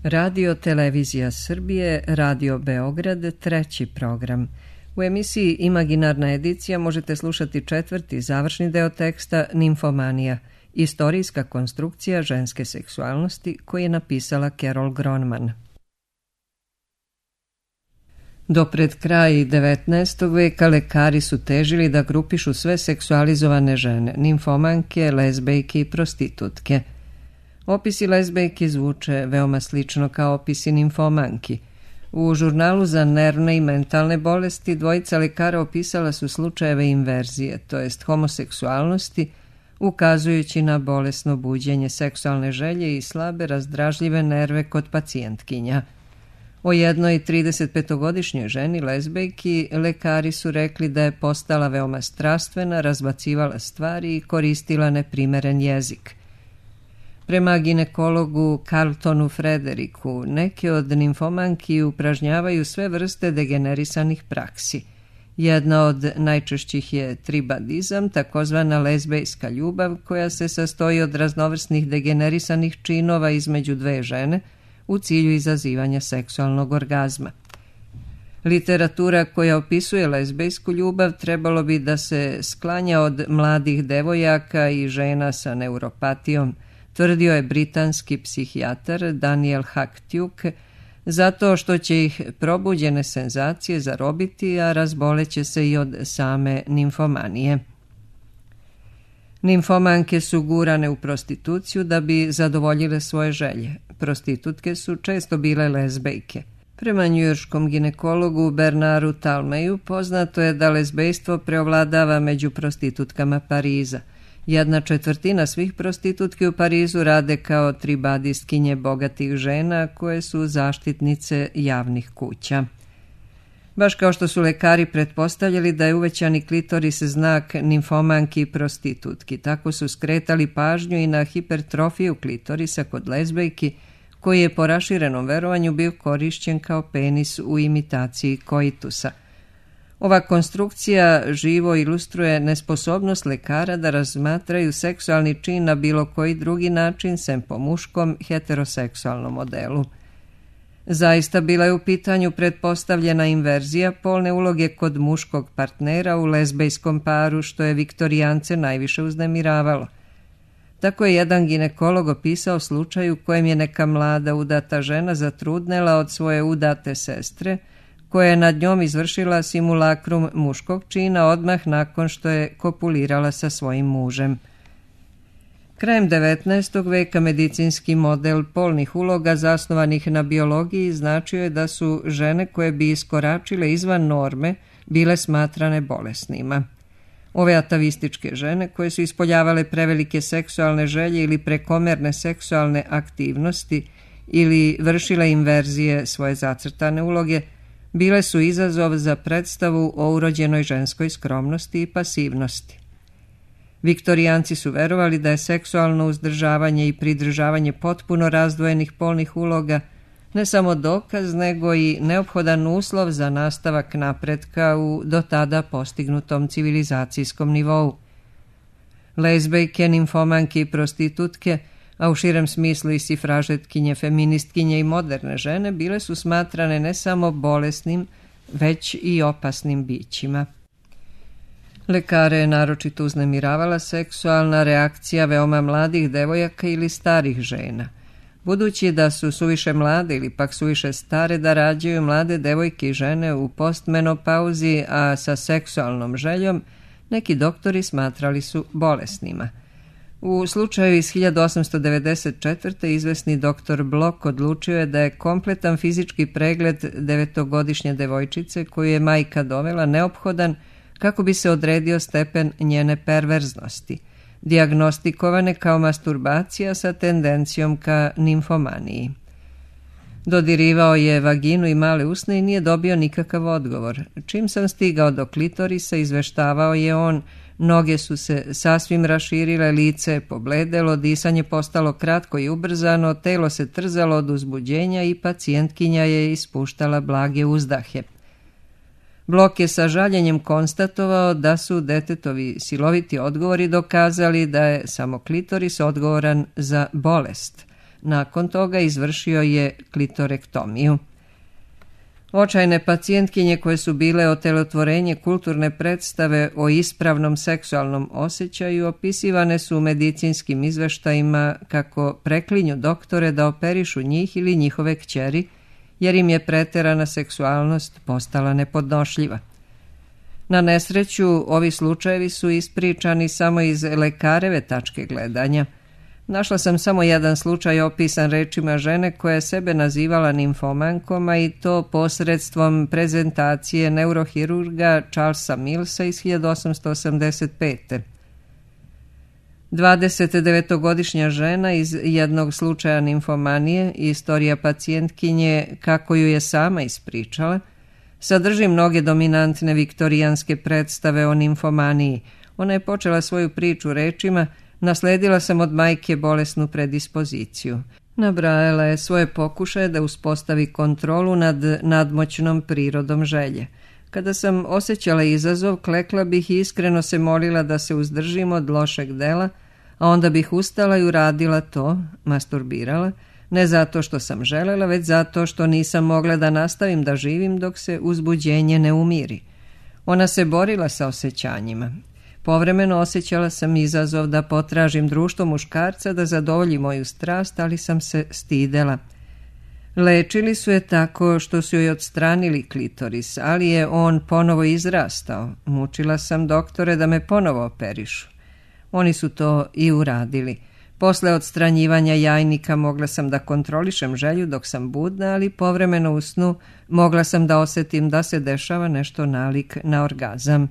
Radio Televizija Srbije, Radio Beograd, treći program. U emisiji Imaginarna edicija možete slušati četvrti završni deo teksta Nimfomanija, istorijska konstrukcija ženske seksualnosti koji je napisala Carol Gronman. Do pred kraj 19. veka lekari su težili da grupišu sve seksualizovane žene, nimfomanke, lezbejke i prostitutke. Opisi lezbejke zvuče veoma slično kao opisi nimfomanki. U žurnalu za nervne i mentalne bolesti dvojica lekara opisala su slučajeve inverzije, to jest homoseksualnosti, ukazujući na bolesno buđenje seksualne želje i slabe razdražljive nerve kod pacijentkinja. O jednoj 35-godišnjoj ženi lezbejki lekari su rekli da je postala veoma strastvena, razbacivala stvari i koristila neprimeren jezik. Prema ginekologu Carltonu Frederiku, neke od nimfomanki upražnjavaju sve vrste degenerisanih praksi. Jedna od najčešćih je tribadizam, takozvana lezbejska ljubav, koja se sastoji od raznovrsnih degenerisanih činova između dve žene u cilju izazivanja seksualnog orgazma. Literatura koja opisuje lezbejsku ljubav trebalo bi da se sklanja od mladih devojaka i žena sa neuropatijom, tvrdio je britanski psihijatar Daniel Hacktuke, zato što će ih probuđene senzacije zarobiti, a razboleće se i od same nimfomanije. Nimfomanke su gurane u prostituciju da bi zadovoljile svoje želje. Prostitutke su često bile lezbejke. Prema njujorškom ginekologu Bernardu Talmeju poznato je da lezbejstvo preovladava među prostitutkama Pariza. 1/4 svih prostitutki u Parizu rade kao tribadistkinje bogatih žena koje su zaštitnice javnih kuća. Baš kao što su lekari pretpostavljali da je uvećani klitoris znak nimfomanki i prostitutki, tako su skretali pažnju i na hipertrofiju klitorisa kod lezbejki, koji je po raširenom verovanju bio korišćen kao penis u imitaciji koitusa. Ova konstrukcija živo ilustruje nesposobnost lekara da razmatraju seksualni čin na bilo koji drugi način sem po muškom heteroseksualnom modelu. Zaista bila je u pitanju pretpostavljena inverzija polne uloge kod muškog partnera u lezbejskom paru, što je viktorijance najviše uznemiravalo. Tako je jedan ginekolog opisao slučaj u kojem je neka mlada udata žena zatrudnela od svoje udate sestre, koja je nad njom izvršila simulakrum muškog čina odmah nakon što je kopulirala sa svojim mužem. Krajem 19. veka medicinski model polnih uloga zasnovanih na biologiji značio je da su žene koje bi iskoračile izvan norme bile smatrane bolesnima. Ove atavističke žene koje su ispoljavale prevelike seksualne želje ili prekomerne seksualne aktivnosti ili vršile inverzije svoje zacrtane uloge, bile su izazov za predstavu o urođenoj ženskoj skromnosti i pasivnosti. Viktorijanci su verovali da je seksualno uzdržavanje i pridržavanje potpuno razdvojenih polnih uloga ne samo dokaz, nego i neophodan uslov za nastavak napretka u do tada postignutom civilizacijskom nivou. Lezbejke, nimfomanke i prostitutke, a u širem smislu i sifražetkinje, feministkinje i moderne žene, bile su smatrane ne samo bolesnim, već i opasnim bićima. Lekare je naročito uznemiravala seksualna reakcija veoma mladih devojaka ili starih žena. Budući da su suviše mlade ili pak suviše stare da rađaju, mlade devojke i žene u postmenopauzi, a sa seksualnom željom, neki doktori smatrali su bolesnima. U slučaju iz 1894. izvesni doktor Blok odlučio je da je kompletan fizički pregled 9-godišnje devojčice koju je majka dovela neophodan kako bi se odredio stepen njene perverznosti, dijagnostikovane kao masturbacija sa tendencijom ka nimfomaniji. Dodirivao je vaginu i male usne i nije dobio nikakav odgovor. Čim sam stigao do klitorisa, izveštavao je on, noge su se sasvim raširile, lice je pobledelo, disanje postalo kratko i ubrzano, telo se trzalo od uzbuđenja i pacijentkinja je ispuštala blage uzdahe. Blok je sa žaljenjem konstatovao da su detetovi siloviti odgovori dokazali da je samo klitoris odgovoran za bolest, Nakon toga izvršio je klitorektomiju. Očajne pacijentkinje koje su bile otelotvorenje kulturne predstave o ispravnom seksualnom osjećaju opisivane su u medicinskim izveštajima kako preklinju doktore da operišu njih ili njihove kćeri, jer im je preterana seksualnost postala nepodnošljiva. Na nesreću, ovi slučajevi su ispričani samo iz lekareve tačke gledanja. Našla sam samo jedan slučaj opisan rečima žene koja je sebe nazivala nimfomankom, a i to posredstvom prezentacije neurohirurga Charlesa Millsa iz 1885. 29-godišnja žena iz jednog slučaja nimfomanije, istorija pacijentkinje kako ju je sama ispričala, sadrži mnoge dominantne viktorijanske predstave o nimfomaniji. Ona je počela svoju priču rečima: nasledila sam od majke bolesnu predispoziciju. Nabrajala je svoje pokušaje da uspostavi kontrolu nad nadmoćnom prirodom želje. Kada sam osjećala izazov, klekla bih i iskreno se molila da se uzdržim od lošeg dela, a onda bih ustala i uradila to, masturbirala, ne zato što sam želela, već zato što nisam mogla da nastavim da živim dok se uzbuđenje ne umiri. Ona se borila sa osjećanjima. Povremeno osjećala sam izazov da potražim društvo muškarca da zadovolji moju strast, ali sam se stidela. Lečili su je tako što su joj odstranili klitoris, ali je on ponovo izrastao. Mučila sam doktore da me ponovo operišu. Oni su to i uradili. Posle odstranjivanja jajnika mogla sam da kontrolišem želju dok sam budna, ali povremeno u snu mogla sam da osjetim da se dešava nešto nalik na orgazam.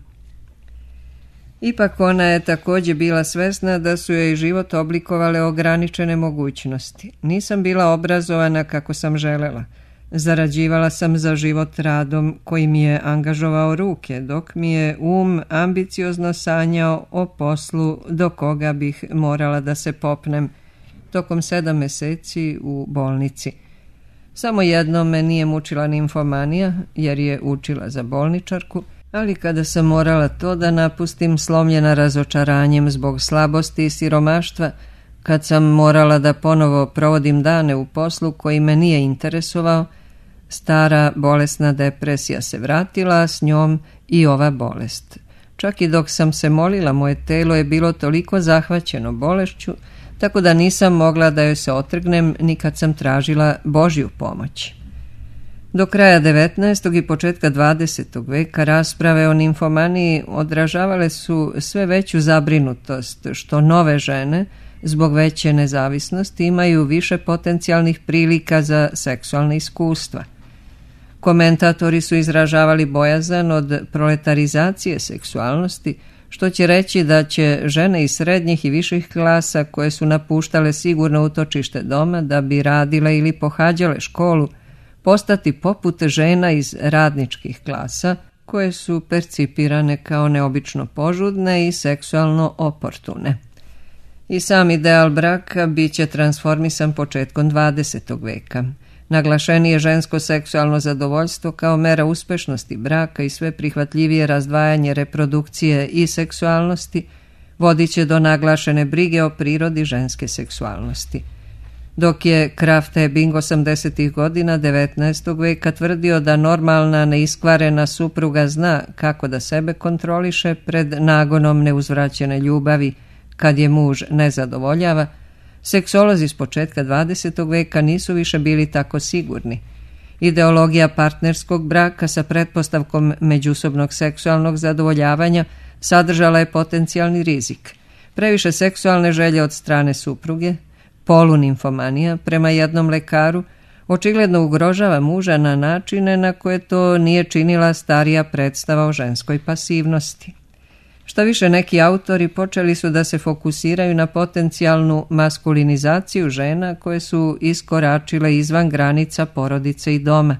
Ipak ona je također bila svesna da su joj život oblikovale ograničene mogućnosti. Nisam bila obrazovana kako sam želela. Zarađivala sam za život radom koji mi je angažovao ruke, dok mi je ambiciozno sanjao o poslu do koga bih morala da se popnem tokom 7 meseci u bolnici. Samo jednom me nije mučila nimfomanija, jer je učila za bolničarku, ali kada sam morala to da napustim, slomljena razočaranjem zbog slabosti i siromaštva, kad sam morala da ponovo provodim dane u poslu koji me nije interesovao, stara bolesna depresija se vratila, a s njom i ova bolest. Čak i dok sam se molila, moje telo je bilo toliko zahvaćeno bolešću, tako da nisam mogla da joj se otrgnem ni kad sam tražila Božju pomoć. Do kraja 19. i početka 20. veka rasprave o nimfomaniji odražavale su sve veću zabrinutost što nove žene, zbog veće nezavisnosti, imaju više potencijalnih prilika za seksualne iskustva. Komentatori su izražavali bojazan od proletarizacije seksualnosti, što će reći da će žene iz srednjih i viših klasa koje su napuštale sigurno utočište doma da bi radile ili pohađale školu, postati poput žena iz radničkih klasa koje su percipirane kao neobično požudne i seksualno oportune. I sam ideal braka bit će transformisan početkom 20. veka. Naglašenije žensko seksualno zadovoljstvo kao mera uspešnosti braka i sve prihvatljivije razdvajanje reprodukcije i seksualnosti vodit će do naglašene brige o prirodi ženske seksualnosti. Dok je Krafft Ebing 80. godina 19. veka tvrdio da normalna, neiskvarena supruga zna kako da sebe kontroliše pred nagonom neuzvraćene ljubavi kad je muž ne zadovoljava, seksolozi s početka 20. veka nisu više bili tako sigurni. Ideologija partnerskog braka sa pretpostavkom međusobnog seksualnog zadovoljavanja sadržala je potencijalni rizik. Previše seksualne želje od strane supruge, polunimfomanija, prema jednom lekaru, očigledno ugrožava muža na načine na koje to nije činila starija predstava o ženskoj pasivnosti. Šta više, neki autori počeli su da se fokusiraju na potencijalnu maskulinizaciju žena koje su iskoračile izvan granica porodice i doma.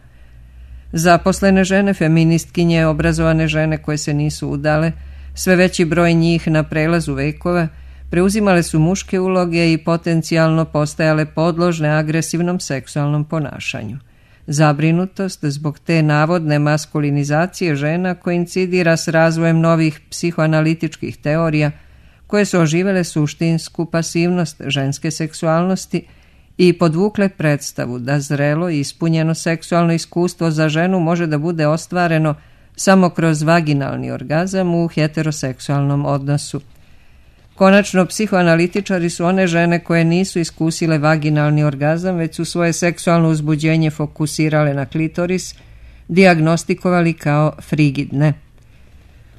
Zaposlene žene, feministkinje, obrazovane žene koje se nisu udale, sve veći broj njih na prelazu vekova, preuzimale su muške uloge i potencijalno postajale podložne agresivnom seksualnom ponašanju. Zabrinutost zbog te navodne maskulinizacije žena koincidira s razvojem novih psihoanalitičkih teorija koje su oživele suštinsku pasivnost ženske seksualnosti i podvukle predstavu da zrelo i ispunjeno seksualno iskustvo za ženu može da bude ostvareno samo kroz vaginalni orgazam u heteroseksualnom odnosu. Konačno, psihoanalitičari su one žene koje nisu iskusile vaginalni orgazam, već su svoje seksualno uzbuđenje fokusirale na klitoris, dijagnostikovali kao frigidne.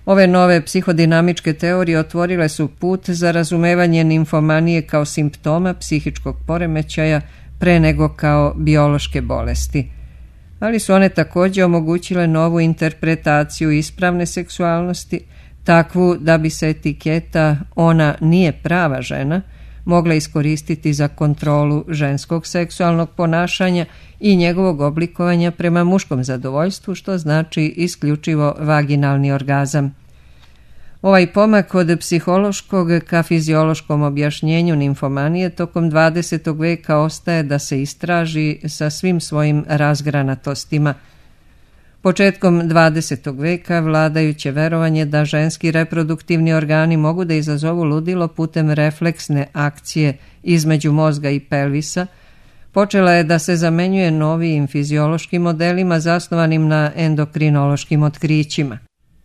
Ove nove psihodinamičke teorije otvorile su put za razumevanje nimfomanije kao simptoma psihičkog poremećaja pre nego kao biološke bolesti. Ali su one također omogućile novu interpretaciju ispravne seksualnosti, takvu da bi se etiketa "ona nije prava žena" mogla iskoristiti za kontrolu ženskog seksualnog ponašanja i njegovog oblikovanja prema muškom zadovoljstvu, što znači isključivo vaginalni orgazam. Ovaj pomak od psihološkog ka fiziološkom objašnjenju nimfomanije tokom 20. veka ostaje da se istraži sa svim svojim razgranatostima. Početkom 20. veka vladajuće verovanje da ženski reproduktivni organi mogu da izazovu ludilo putem refleksne akcije između mozga i pelvisa počela je da se zamenjuje novijim fiziološkim modelima zasnovanim na endokrinološkim otkrićima.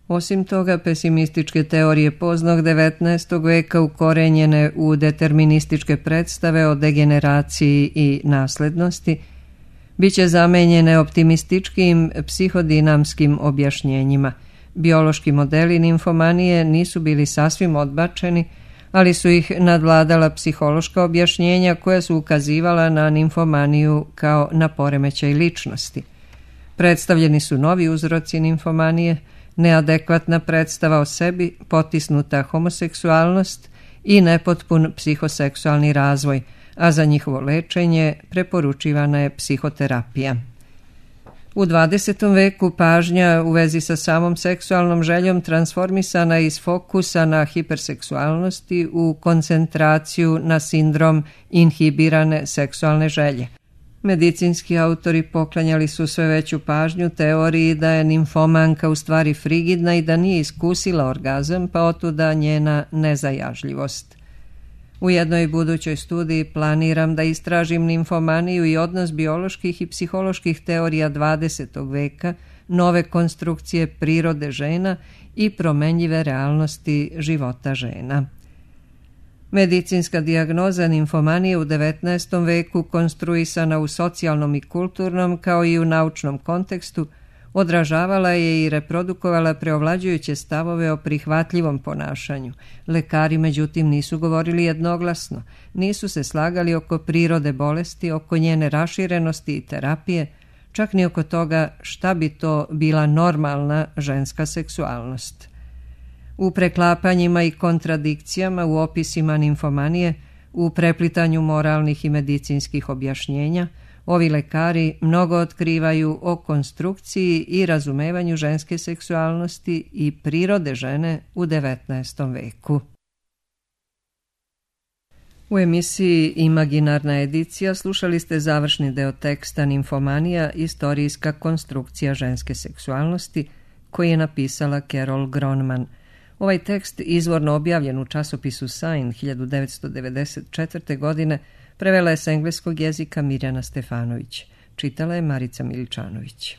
Osim toga, pesimističke teorije poznog 19. veka ukorenjene u determinističke predstave o degeneraciji i naslednosti biće zamenjene optimističkim psihodinamskim objašnjenjima. Biološki modeli nimfomanije nisu bili sasvim odbačeni, ali su ih nadvladala psihološka objašnjenja koja su ukazivala na nimfomaniju kao na poremećaj ličnosti. Predstavljeni su novi uzroci nimfomanije, neadekvatna predstava o sebi, potisnuta homoseksualnost i nepotpun psihoseksualni razvoj, a za njihovo lečenje preporučivana je psihoterapija. U 20. veku pažnja u vezi sa samom seksualnom željom transformisana iz fokusa na hiperseksualnosti u koncentraciju na sindrom inhibirane seksualne želje. Medicinski autori poklanjali su sve veću pažnju teoriji da je nimfomanka u stvari frigidna i da nije iskusila orgazam, pa otuda njena nezajažljivost. U jednoj budućoj studiji planiram da istražim nimfomaniju i odnos bioloških i psiholoških teorija 20. veka, nove konstrukcije prirode žena i promenljive realnosti života žena. Medicinska dijagnoza nimfomanije u 19. veku, konstruisana u socijalnom i kulturnom kao i u naučnom kontekstu, odražavala je i reprodukovala preovlađujuće stavove o prihvatljivom ponašanju. Lekari, međutim, nisu govorili jednoglasno, nisu se slagali oko prirode bolesti, oko njene raširenosti i terapije, čak ni oko toga šta bi to bila normalna ženska seksualnost. U preklapanjima i kontradikcijama u opisima nimfomanije, u preplitanju moralnih i medicinskih objašnjenja, ovi lekari mnogo otkrivaju o konstrukciji i razumevanju ženske seksualnosti i prirode žene u 19. veku. U emisiji Imaginarna edicija slušali ste završni deo teksta Nimfomanija, istorijska konstrukcija ženske seksualnosti, koji je napisala Carol Gronman. Ovaj tekst, izvorno objavljen u časopisu Sign 1994. godine, prevela je s engleskog jezika Mirjana Stefanović. Čitala je Marica Miličanović.